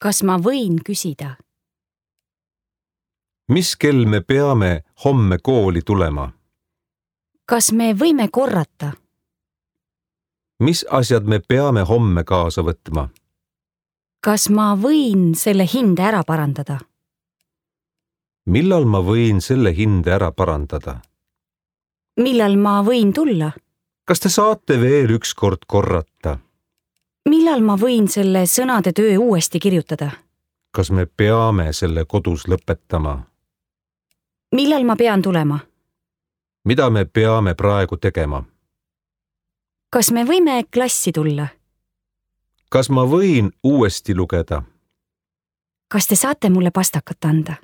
Kas ma võin küsida? Mis kell me peame homme kooli tulema? Kas me võime korrata? Mis asjad me peame homme kaasa võtma? Kas ma võin selle hinde ära parandada? Millal ma võin selle hinde ära parandada? Millal ma võin tulla? Kas te saate veel ükskord korrata? Millal ma võin selle sõnade töö uuesti kirjutada? Kas me peame selle kodus lõpetama? Millal ma pean tulema? Mida me peame praegu tegema? Kas me võime klassi tulla? Kas ma võin uuesti lugeda? Kas te saate mulle pastakat anda?